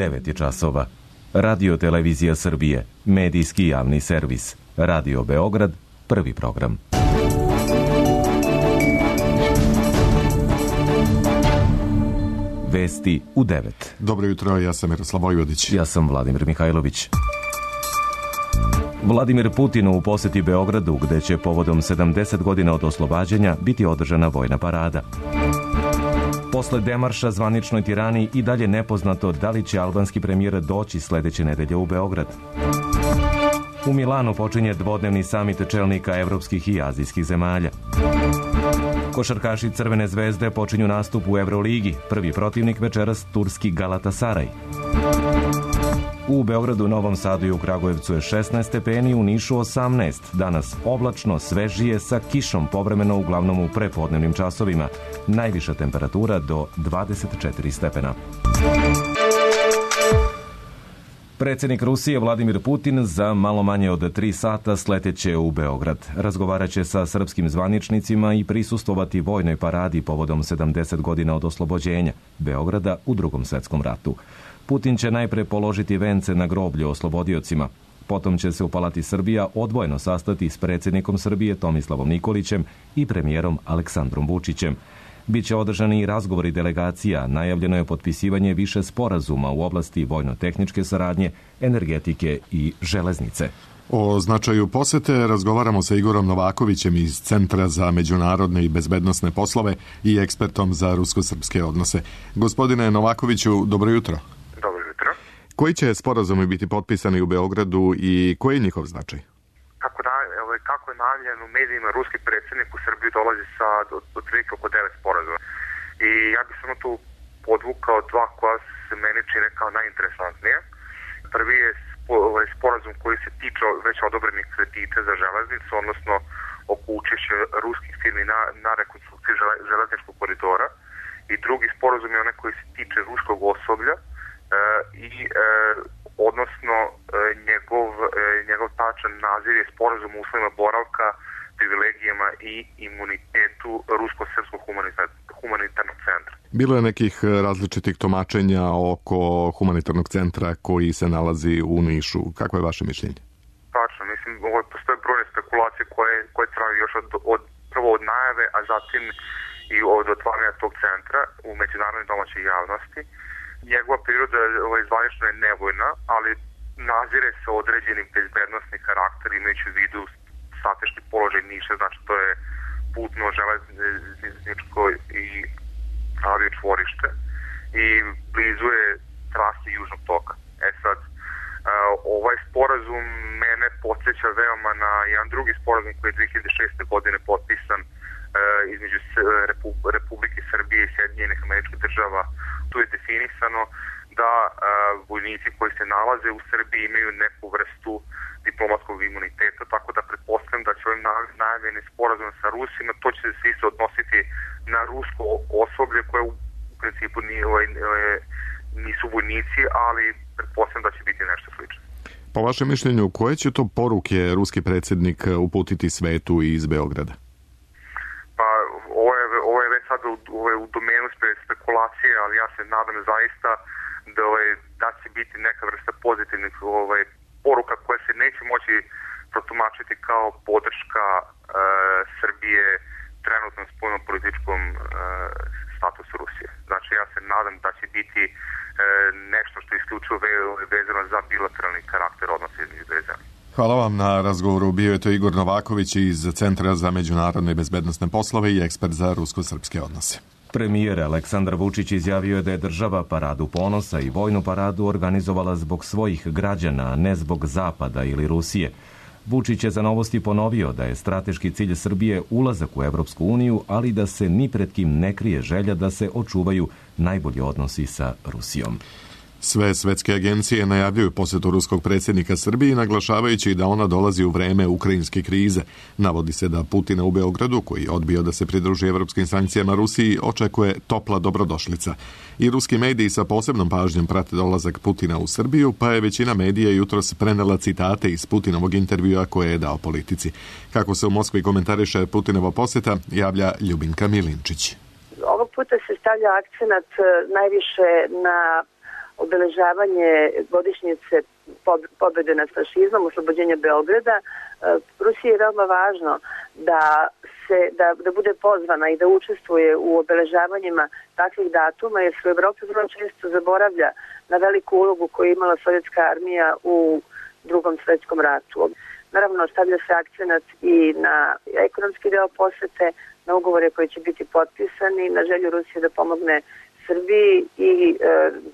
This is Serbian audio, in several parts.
9 je časova. Radio Televizija Srbije, medijski javni servis. Radio Beograd, prvi program. Vesti u 9. Dobro jutro, ja sam Miroslav Vojvodić. Ja sam Vladimir Mihajlović. Vladimir Putin u poseti Beogradu, gde će povodom 70 godina od oslobađanja biti održana vojna parada. Posle demarša zvaničnoj Tirani i dalje nepoznato da li će albanski premijer doći sledeće nedelje u Beograd. U Milanu počinje dvodnevni samit čelnika evropskih i azijskih zemalja. Košarkaši Crvene zvezde počinju nastup u Evroligi. Prvi protivnik večeras turski Galatasaraj. U Beogradu, Novom Sadu i u Kragujevcu je 16 stepeni, u Nišu 18. Danas oblačno, svežije sa kišom povremeno uglavnom u prepodnevnim časovima. Najviša temperatura do 24 stepena. Predsjednik Rusije Vladimir Putin za malo manje od 3 sata sleteće u Beograd. Razgovaraće sa srpskim zvaničnicima i prisustvovati vojnoj paradi povodom 70 godina od oslobođenja Beograda u Drugom svetskom ratu. Putin će najpre položiti vence na groblje oslobodiocima. Potom će se u Palati Srbija odvojeno sastati s predsjednikom Srbije Tomislavom Nikolićem i premijerom Aleksandrom Vučićem. Biće održani i razgovori delegacija, najavljeno je potpisivanje više sporazuma u oblasti vojno-tehničke saradnje, energetike i železnice. O značaju posete razgovaramo sa Igorom Novakovićem iz Centra za međunarodne i bezbednosne poslove i ekspertom za rusko-srpske odnose. Gospodine Novakoviću, dobro jutro. Dobro jutro. Koji će sporazumi biti potpisani u Beogradu i koji je njihov značaj? Kako je najavljeno u medijima, ruski predsjednik u Srbiju dolazi sa otprilike oko 9 sporazuma. I ja bih samo tu podvukao dva koja se meni čine kao najinteresantnije. Prvi je sporazum koji se tiče već odobrenih kredita za železnicu, odnosno oko učešća ruskih firmi na rekonstrukciji železničkog koridora. I drugi sporazum je onaj koji se tiče ruskog osoblja odnosno njegov tačan naziv je sporazum o uslovima boravka, privilegijama i imunitetu Rusko-srpskog humanitarnog centra. Bilo je nekih različitih tumačenja oko humanitarnog centra koji se nalazi u Nišu. Kako je vaše mišljenje? Tačno, mislim, postoje brojne spekulacije koje traju još prvo od najave, a zatim i od otvaranja tog centra u međunarodnoj domaćoj javnosti. Njegova priroda zvanično je nevojna, ali nazire se određeni bezbednosni karakter imajući u vidu strateški položaj Niša, znači to je putno, železničko i aviočvorište i blizu je trasi Južnog toka. Sad, ovaj sporazum mene podsjeća veoma na jedan drugi sporazum koji je 2006. godine potpisan između Republike Srbije i Sjedinjenih Američkih Država. Tu je definisano da vojnici koji se nalaze u Srbiji imaju neku vrstu diplomatskog imuniteta, tako da pretpostavljam da će ovim najavljenim sporazumom sa Rusima, to će se isto odnositi na rusko osoblje koje u principu nisu vojnici, ali pretpostavljam da će biti nešto slično. Po vašem mišljenju, koje će to poruke ruski predsjednik uputiti svetu iz Beograda? Pa, ovo je već sad u domenu spekulacije, ali ja se nadam zaista da će biti neka vrsta pozitivnih poruka koja se neće moći protumačiti kao podrška Srbije trenutnom spoljnopolitičkom statusu Rusije. Znači, ja se nadam da će biti nešto što je isključivo vezano za bilateralni karakter odnosa između dve zemlje. Hvala vam na razgovoru. Bio je to Igor Novaković iz Centra za međunarodne i bezbednosne poslove i ekspert za rusko-srpske odnose. Premijer Aleksandar Vučić izjavio je da je država paradu ponosa i vojnu paradu organizovala zbog svojih građana, a ne zbog Zapada ili Rusije. Vučić je za Novosti ponovio da je strateški cilj Srbije ulazak u Evropsku uniju, ali da se ni pred kim ne krije želja da se očuvaju najbolji odnosi sa Rusijom. Sve svetske agencije najavljuju posetu ruskog predsjednika Srbiji, naglašavajući da ona dolazi u vreme ukrajinske krize. Navodi se da Putina u Beogradu, koji je odbio da se pridruži evropskim sankcijama Rusiji, očekuje topla dobrodošlica. I ruski mediji sa posebnom pažnjom prate dolazak Putina u Srbiju, pa je većina medija jutros prenela citate iz Putinovog intervjua koje je dao Politici. Kako se u Moskvi komentariše Putinova poseta, javlja Ljubinka Milinčić. Ovog puta se stavlja akcenat najviše na obeležavanje godišnjice pobjede nad fašizmom, oslobođenja Beograda, Rusiji je veoma važno da bude pozvana i da učestvuje u obeležavanjima takvih datuma, jer se u Evropi vrlo često zaboravlja na veliku ulogu koju je imala sovjetska armija u Drugom svetskom ratu. Naravno, stavlja se akcenat i na ekonomski deo posete, na ugovore koji će biti potpisani, na želju Rusije da pomogne Srbiji i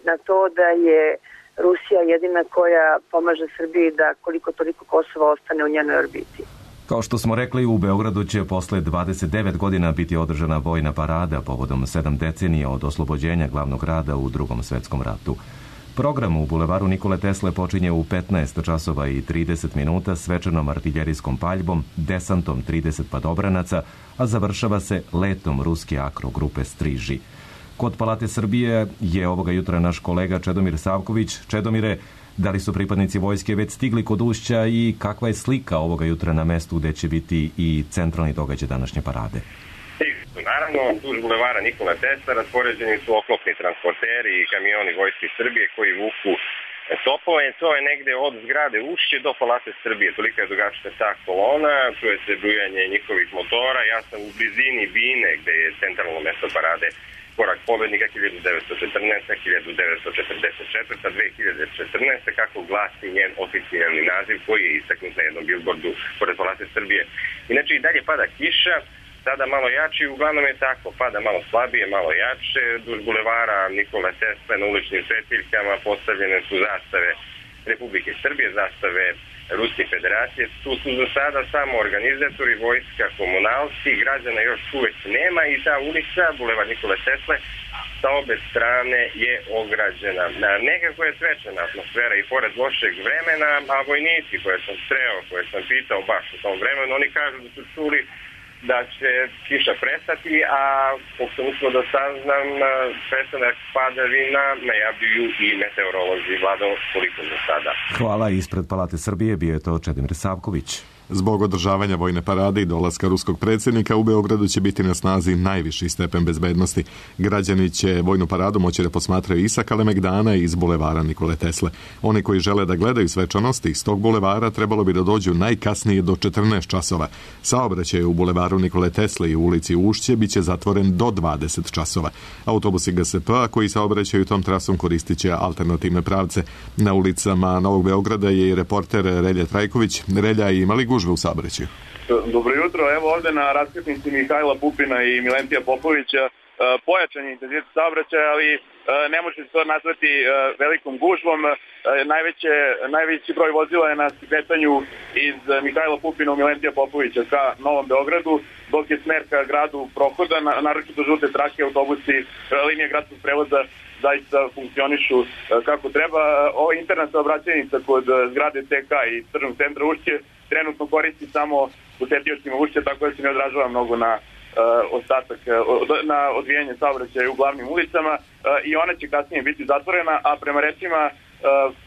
na to da je Rusija jedina koja pomaže Srbiji da koliko toliko Kosova ostane u njenoj orbiti. Kao što smo rekli, u Beogradu će posle 29 godina biti održana vojna parada povodom 7 decenija od oslobođenja glavnog grada u Drugom svetskom ratu. Program u Bulevaru Nikole Tesle počinje u 15 časova i 30 minuta svečanom artiljerijskom paljbom, desantom 30 padobranaca, a završava se letom ruske akro grupe Striži. Kod Palate Srbije je ovoga jutra naš kolega Čedomir Savković. Čedomire, da li su pripadnici vojske već stigli kod Ušća i kakva je slika ovoga jutra na mestu gde će biti i centralni događaj današnje parade? Naravno, duž bulevara Nikola Tesla raspoređeni su oklopni transporteri i kamioni Vojske Srbije koji vuku topove. To je negde od zgrade Ušće do Palate Srbije. Tolika je dugačka ta kolona, čuje se brujanje njihovih motora. Ja sam u blizini Bine, gde je centralno mesto parade Korak pobednika 1914, 1944, 2014, kako glasi njen oficijalni naziv koji je istaknut na jednom bilbordu pored Palate Srbije. Inače i dalje pada kiša, sada malo jače i uglavnom je tako, pada malo slabije, malo jače. Duž bulevara Nikole Tesle na uličnim svetiljkama postavljene su zastave Republike Srbije, zastave Ruske federacije. Tu su za sada samo organizatori, vojska, komunalci, građana još uvek nema i ta ulica, bulevar Nikole Tesle, sa obe strane je ograđena. Nekako je svečana atmosfera i pored lošeg vremena, a vojnici koje sam sreo, koje sam pitao baš u tom vremenu, oni kažu da su čuli da će kiša prestati, a kako sam uspio da saznam, prestanak padavina najavljuju i meteorolozi. Vlado, koliko za sada. Hvala. Ispred Palate Srbije bio je to Čedomir Savković. Zbog održavanja vojne parade i dolaska ruskog predsjednika u Beogradu će biti na snazi najviši stepen bezbednosti. Građani će vojnu paradu moći da posmatraju i sa Kalemegdana i iz bulevara Nikole Tesle. Oni koji žele da gledaju svečanosti iz tog bulevara trebalo bi da dođu najkasnije do 14 časova. Saobraćaj u bulevaru Nikole Tesle i u ulici Ušće biće zatvoren do 20 časova. Autobusi GSP-a koji saobraćaju tom trasom koristit će alternativne pravce. Na ulicama Novog Beograda je i reporter Relja Trajković. Relja, imali gužve u saobraćaju? Dobro jutro, evo ovde na raskrsnici Mihajla Pupina i Milentija Popovića pojačan je intenzitet saobraćaja, ali ne može se to nazvati velikom gužvom. Najveći broj vozila je na skretanju iz Mihajla Pupina u Milentija Popovića ka Novom Beogradu, dok je smer ka gradu prohoda, naročito žute trake, autobusi, linije gradskog prevoza zaista funkcionišu kako treba. Ova interna saobraćajnica kod zgrade TK i tržnog centra Ušće trenutno koristi samo posetiocima Ušća, tako da se ne odražava mnogo na na odvijanje saobraćaja u glavnim ulicama i ona će kasnije biti zatvorena, a prema rečima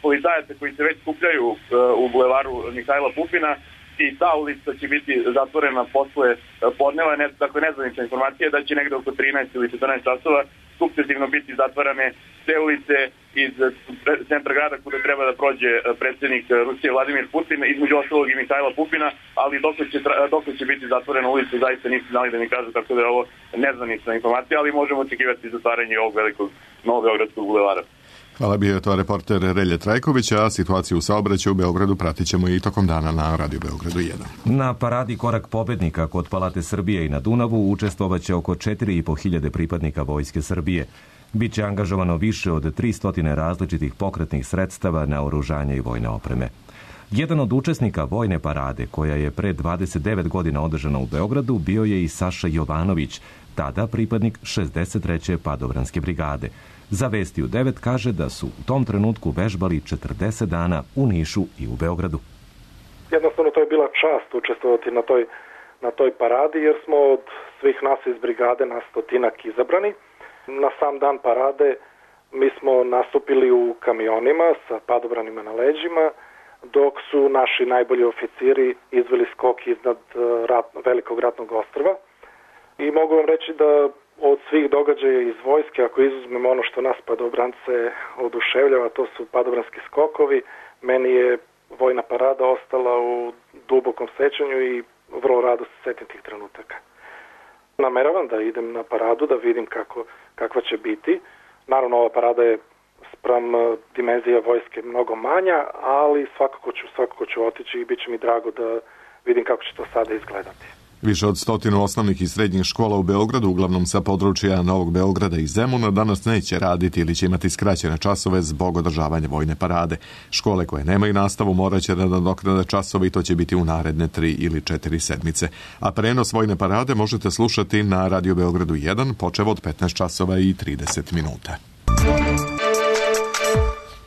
policajaca koji se već skupljaju u bulevaru Mihajla Pupina, i ta ulica će biti zatvorena posle podneva. Dakle, nezvanična informacija da će negde oko 13 ili 14 časova sukcesivno biti zatvarane te ulice iz centra grada kuda treba da prođe predsjednik Rusije Vladimir Putin, između ostalog i Mihajla Pupina, ali dok će biti zatvorena ulica zaista nisu znali da mi kažu, tako da je ovo nezvanična informacija, ali možemo očekivati zatvaranje ovog velikog novobeogradskog bulevara. Hvala, bio je to reporter Relje Trajković, a situaciju u saobraćaju u Beogradu pratit ćemo i tokom dana na Radio Beogradu 1. Na paradi Korak pobednika kod Palate Srbije i na Dunavu učestvovaće oko 4.500 pripadnika Vojske Srbije. Biće angažovano više od 300 različitih pokretnih sredstava, naoružanja i vojne opreme. Jedan od učesnika vojne parade, koja je pre 29 godina održana u Beogradu, bio je i Saša Jovanović, tada pripadnik 63. padobranske brigade. Za Vesti u 9 kaže da su u tom trenutku vežbali 40 dana u Nišu i u Beogradu. Jednostavno to je bila čast učestvovati na toj paradi, jer smo od svih nas iz brigade na 100 izabrani. Na sam dan parade mi smo nastupili u kamionima sa padobranima na leđima, dok su naši najbolji oficiri izveli skok iznad velikog ratnog ostrva. I mogu vam reći da Od svih događaja iz vojske, ako izuzmemo ono što nas padobrance oduševljava, to su padobranski skokovi, meni je vojna parada ostala u dubokom sećanju i vrlo rado se setim tih trenutaka. Nameravam da idem na paradu, da vidim kakva će biti. Naravno, ova parada je spram dimenzija vojske mnogo manja, ali svakako ću otići i bit će mi drago da vidim kako će to sada izgledati. Više od 100 osnovnih i srednjih škola u Beogradu, uglavnom sa područja Novog Beograda i Zemuna, danas neće raditi ili će imati skraćene časove zbog održavanja vojne parade. Škole koje nemaju nastavu morat će da nadoknade časove i to će biti u naredne 3 ili 4 sedmice. A prenos vojne parade možete slušati na Radio Beogradu 1 počev od 15 časova i 30 minuta.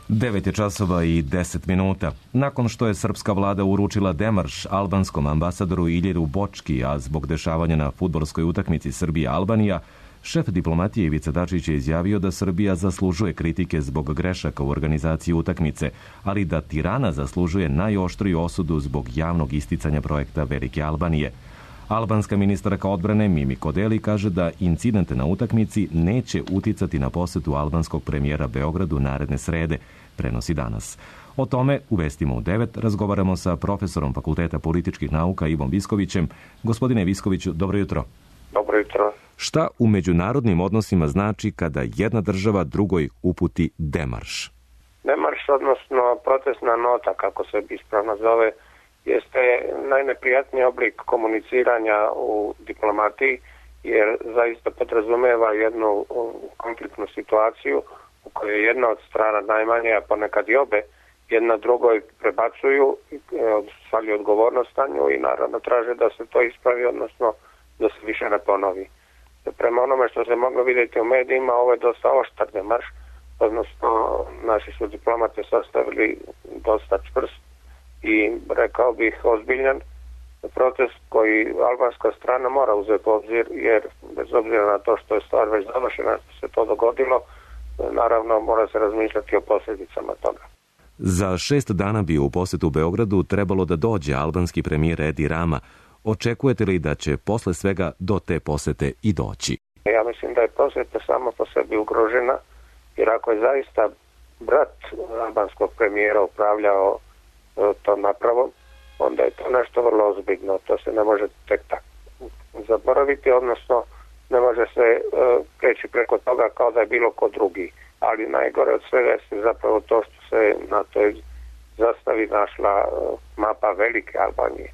9 je časova i 10 minuta. Nakon što je srpska vlada uručila demarš albanskom ambasadoru Iljeru Bočki, a zbog dešavanja na fudbalskoj utakmici Srbija-Albanija, šef diplomatije Ivica Dačić je izjavio da Srbija zaslužuje kritike zbog grešaka u organizaciji utakmice, ali da Tirana zaslužuje najoštriju osudu zbog javnog isticanja projekta Velike Albanije. Albanska ministarka odbrane Mimi Kodeli kaže da incidente na utakmici neće uticati na posetu albanskog premijera Beogradu naredne srede, prenosi Danas. O tome u vestima u 9 razgovaramo sa profesorom Fakulteta političkih nauka Ivom Viskovićem. Gospodine Viskoviću, dobro jutro. Dobro jutro. Šta u međunarodnim odnosima znači kada jedna država drugoj uputi demarš? Demarš, odnosno protestna nota, kako se ispravno zove, jeste najneprijatniji oblik komuniciranja u diplomatiji, jer zaista podrazumeva jednu konfliktnu situaciju u kojoj jedna od strana najmanje, a ponekad i obe, jedna drugoj prebacuju, svalju odgovornost na nju i naravno traže da se to ispravi, odnosno da se više ne ponovi. Prema onome što se moglo vidjeti u medijima, ovo je dosta oštar demarš, odnosno naši su diplomate sastavili dosta čvrst i rekao bih ozbiljan protest koji albanska strana mora uzeti u obzir, jer bez obzira na to što je stvar već završena, što se to dogodilo, naravno mora se razmišljati o posljedicama toga. Za 6 dana bi u posetu Beogradu trebalo da dođe albanski premijer Edi Rama. Očekujete li da će posle svega do te posete i doći? Ja mislim da je poseta samo po sebi ugrožena, jer ako je zaista brat albanskog premijera upravljao to napravom, onda je to nešto vrlo ozbiljno. To se ne može tek tako zaboraviti, odnosno ne može se preći preko toga kao da je bilo ko drugi. Ali najgore od svega je zapravo to što se na toj zastavi našla mapa Velike Albanije.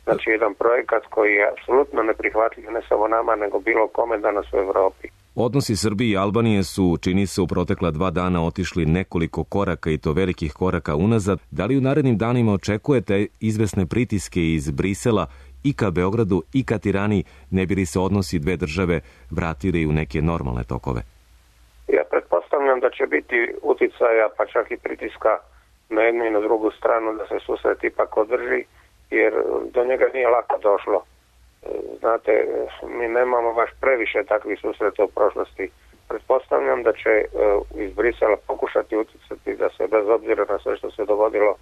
Znači jedan projekat koji je apsolutno neprihvatljiv ne samo nama, nego bilo kome danas u Evropi. Odnosi Srbije i Albanije su, čini se, u protekla 2 dana otišli nekoliko koraka i to velikih koraka unazad. Da li u narednim danima očekujete izvesne pritiske iz Brisela i ka Beogradu i ka Tirani, ne bi li se odnosi dve države vratili u neke normalne tokove? Ja pretpostavljam da će biti uticaja, pa čak i pritiska na jednu i na drugu stranu da se susret ipak održi, jer do njega nije lako došlo. Znate, mi nemamo baš previše takvih susreta u prošlosti. Pretpostavljam da će iz Brisela pokušati uticati da se bez obzira na sve što se dogodilo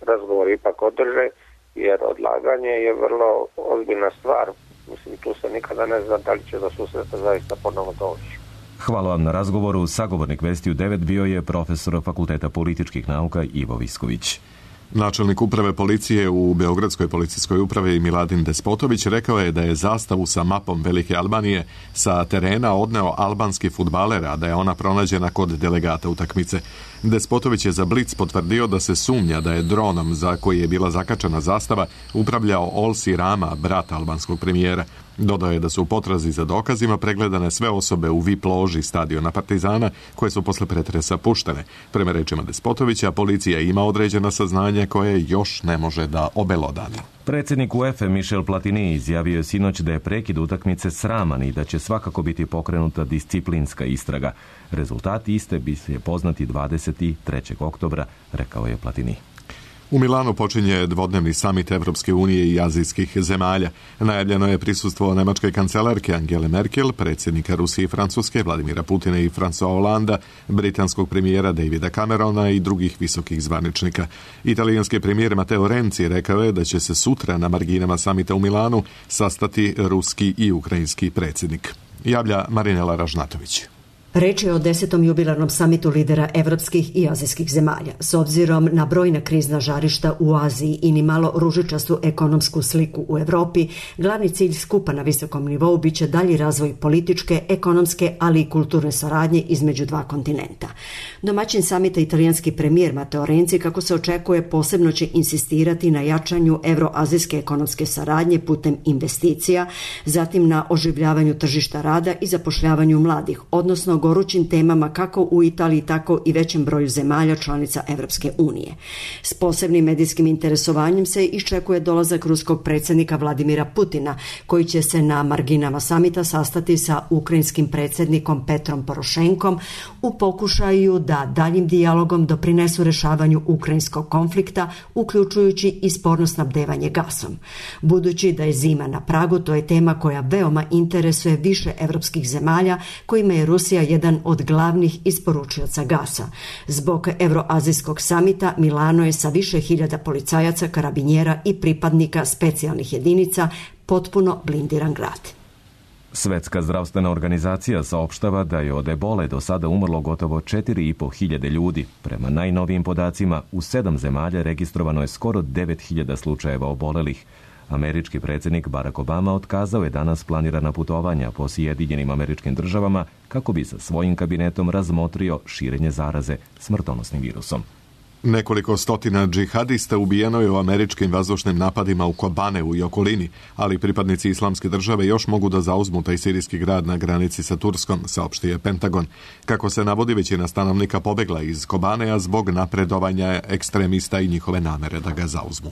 razgovor ipak održe, jer odlaganje je vrlo ozbiljna stvar. Mislim, tu se nikada ne zna da li će do susreta zaista ponovo doći. Hvala vam na razgovoru. Sagovornik Vesti u 9 bio je profesor Fakulteta političkih nauka Ivo Visković. Načelnik uprave policije u Beogradskoj policijskoj upravi Miladin Despotović rekao je da je zastavu sa mapom Velike Albanije sa terena odneo albanski fudbaler, a da je ona pronađena kod delegata utakmice. Despotović je za Blic potvrdio da se sumnja da je dronom za koji je bila zakačena zastava upravljao Olsi Rama, brat albanskog premijera. Dodao je da su u potrazi za dokazima pregledane sve osobe u VIP loži stadiona Partizana koje su posle pretresa puštene. Prema rečima Despotovića, policija ima određena saznanja koje još ne može da obelodani. Predsjednik UEFA Michel Platini izjavio je sinoć da je prekid utakmice sraman i da će svakako biti pokrenuta disciplinska istraga. Rezultati iste bi se poznati 23. oktobra, rekao je Platini. U Milanu počinje dvodnevni samit Evropske unije i azijskih zemalja. Najavljeno je prisustvo nemačke kancelarke Angele Merkel, predsjednika Rusije i Francuske Vladimira Putina i François Hollanda, britanskog premijera Davida Camerona i drugih visokih zvaničnika. Italijanski premijer Matteo Renzi rekao je da će se sutra na marginama samita u Milanu sastati ruski i ukrajinski predsjednik. Javlja Marinela Ražnatović. Reč je o 10. jubilarnom samitu lidera evropskih i azijskih zemalja. S obzirom na brojna krizna žarišta u Aziji i ni malo ružičastu ekonomsku sliku u Evropi, glavni cilj skupa na visokom nivou biće dalji razvoj političke, ekonomske, ali i kulturne saradnje između dva kontinenta. Domaćin samita italijanski premijer Matteo Renzi, kako se očekuje, posebno će insistirati na jačanju evroazijske ekonomske saradnje putem investicija, zatim na oživljavanju tržišta rada i zapošljavanju mladih, odnosno gorućim temama kako u Italiji, tako i većem broju zemalja članica Evropske unije. S posebnim medijskim interesovanjem se iščekuje dolazak ruskog predsjednika Vladimira Putina, koji će se na marginama samita sastati sa ukrajinskim predsjednikom Petrom Porošenkom u pokušaju da daljim dijalogom doprinesu rešavanju ukrajinskog konflikta, uključujući i sporno snabdevanje gasom. Budući da je zima na pragu, to je tema koja veoma interesuje više evropskih zemalja, kojima je Rusija jedan od glavnih isporučioca gasa. Zbog Evroazijskog samita Milano je sa više hiljada policajaca, karabinjera i pripadnika specijalnih jedinica potpuno blindiran grad. Svetska zdravstvena organizacija saopštava da je od ebole do sada umrlo gotovo 4.500 ljudi. Prema najnovijim podacima, u 7 zemalja registrovano je skoro 9.000 slučajeva obolelih. Američki predsjednik Barack Obama otkazao je danas planirana putovanja po Sjedinjenim Američkim Državama kako bi sa svojim kabinetom razmotrio širenje zaraze smrtonosnim virusom. Nekoliko stotina džihadista ubijeno je u američkim vazdušnim napadima u Kobaneu i okolini, ali pripadnici Islamske države još mogu da zauzmu taj sirijski grad na granici sa Turskom, saopštio je Pentagon. Kako se navodi, većina stanovnika pobegla iz Kobanea zbog napredovanja ekstremista i njihove namere da ga zauzmu.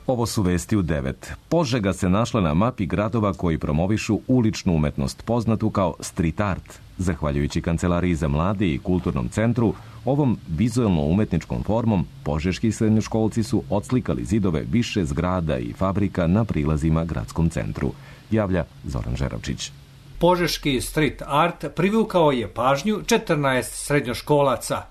Ovo su vesti u 9. Požega se našla na mapi gradova koji promovišu uličnu umetnost poznatu kao street art. Zahvaljujući Kancelariji za mlade i Kulturnom centru, ovom vizuelno-umetničkom formom požeški srednjoškolci su odslikali zidove više zgrada i fabrika na prilazima gradskom centru. Javlja Zoran Žeravčić. Požeški street art privukao je pažnju 14 srednjoškolaca.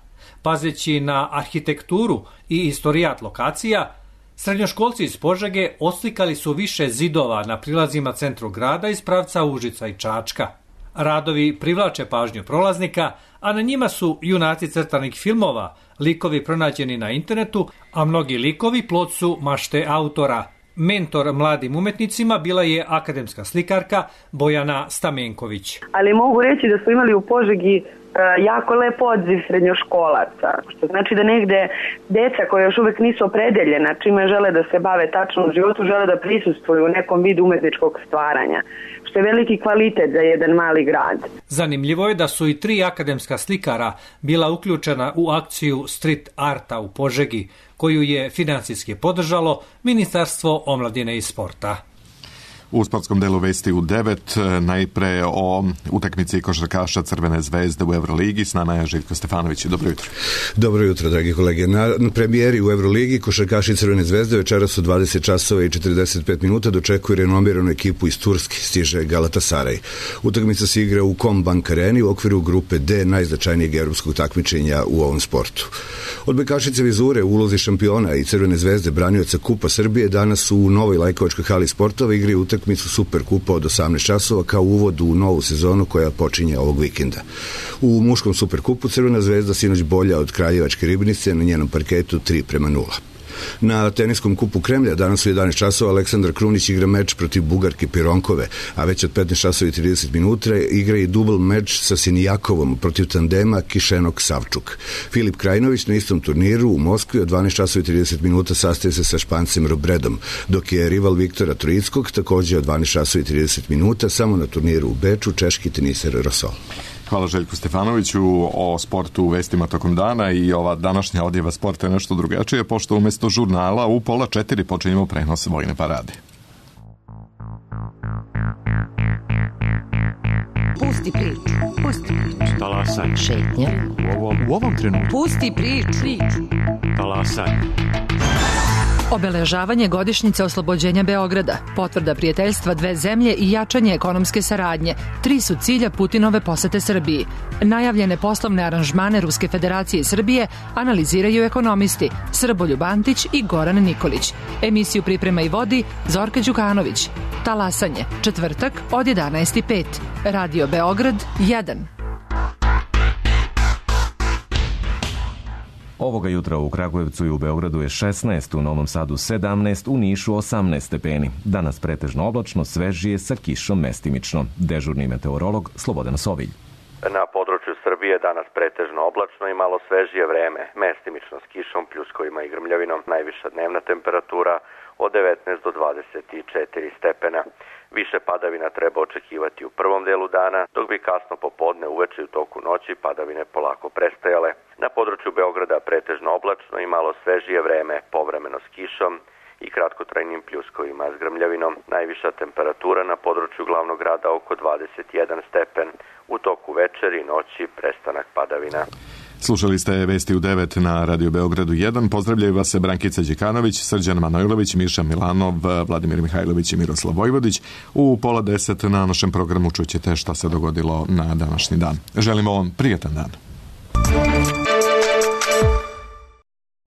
Pazeći na arhitekturu i istorijat lokacija, srednjoškolci iz Požege odslikali su više zidova na prilazima centru grada iz pravca Užica i Čačka. Radovi privlače pažnju prolaznika, a na njima su junaci crtanih filmova, likovi pronađeni na internetu, a mnogi likovi plod su mašte autora. Mentor mladim umetnicima bila je akademska slikarka Bojana Stamenković. Ali mogu reći da smo imali u Požegi jako lep odziv srednjoškolaca, što znači da negde deca koja još uvek nisu opredeljena čime žele da se bave tačno u životu, žele da prisustvuju u nekom vidu umetničkog stvaranja, što je veliki kvalitet za jedan mali grad. Zanimljivo je da su i 3 akademska slikara bila uključena u akciju street arta u Požegi, koju je finansijski podržalo Ministarstvo omladine i sporta. U sportskom delu vesti u 9, najpre o utakmici košarkaša Crvene zvezde u Euroligi. S nama je Željko Stefanović. Dobro jutro. Dobro jutro, dragi kolege. Na premijeri u Euroligi košarkaši Crvene zvezde večeras u 20 časova i 45 minuta dočekuju renomiranu ekipu iz Turske, stiže Galatasaray. Utakmica se igra u Combank Areni u okviru grupe D najznačajnijeg evropskog takmičenja u ovom sportu. Odbojkašice Vizure u ulozi šampiona i Crvene zvezde branioca Kupa Srbije danas u novoj Lajkovačkoj hali sportova igraju utakmicu Superkupa od 18 časova kao uvod u novu sezonu koja počinje ovog vikenda. U muškom Superkupu Crvena zvezda sinoć bolja od Kraljevačke Ribnice na njenom parketu 3:0. Na teniskom kupu Kremlja danas u 11 časova Aleksandar Krunić igra meč protiv Bugarke Pironkove, a već od 15 časova i 30 minuta igra i dubl meč sa Sinijakovom protiv tandema Kišenok-Savčuk. Filip Krajinović na istom turniru u Moskvi od 12 časova i 30 minuta sastaje se sa Špancem Robredom, dok je rival Viktora Trojickog također od 12 časova i 30 minuta samo na turniru u Beču češki teniser Rosol. Hvala Željku Stefanoviću. O sportu u vestima tokom dana i ova današnja odjeva sporta je nešto drugačije, pošto umjesto žurnala u 3:30 počinjemo prenos vojne parade. Pusti priču. Pusti priču. Talasaj. Šetnja. U ovom trenutku. Pusti priču. Talasaj. Obeležavanje godišnjice oslobođenja Beograda, potvrda prijateljstva dve zemlje i jačanje ekonomske saradnje, 3 su cilja Putinove posete Srbiji. Najavljene poslovne aranžmane Ruske federacije i Srbije analiziraju ekonomisti Srboljub Antić i Goran Nikolić. Emisiju priprema i vodi Zorka Đukanović. Talasanje, četvrtak od 11:05. Radio Beograd 1. Ovoga jutra u Kragujevcu i u Beogradu je 16, u Novom Sadu 17, u Nišu 18 stepeni. Danas pretežno oblačno, svežije sa kišom mestimično. Dežurni meteorolog Slobodan Sovilj. Na području Srbije danas pretežno oblačno i malo svežije vreme, mestimično s kišom, pljuskovima i grmljavinom, najviša dnevna temperatura od 19 do 24 stepena. Više padavina treba očekivati u prvom delu dana, dok bi kasno popodne, uveče i u toku noći padavine polako prestajale. Na području Beograda pretežno oblačno i malo svežije vreme, povremeno s kišom i kratkotrajnim pljuskovima s grmljavinom. Najviša temperatura na području glavnog grada oko 21 stepen. U toku večeri i noći prestanak padavina. Slušali ste Vesti u 9 na Radio Beogradu 1. Pozdravljaju vas se Brankica Đekanović, Srđan Manojlović, Miša Milanov, Vladimir Mihajlović i Miroslav Vojvodić. U 9:30 na našem programu čućete šta se dogodilo na današnji dan. Želimo vam prijatan dan.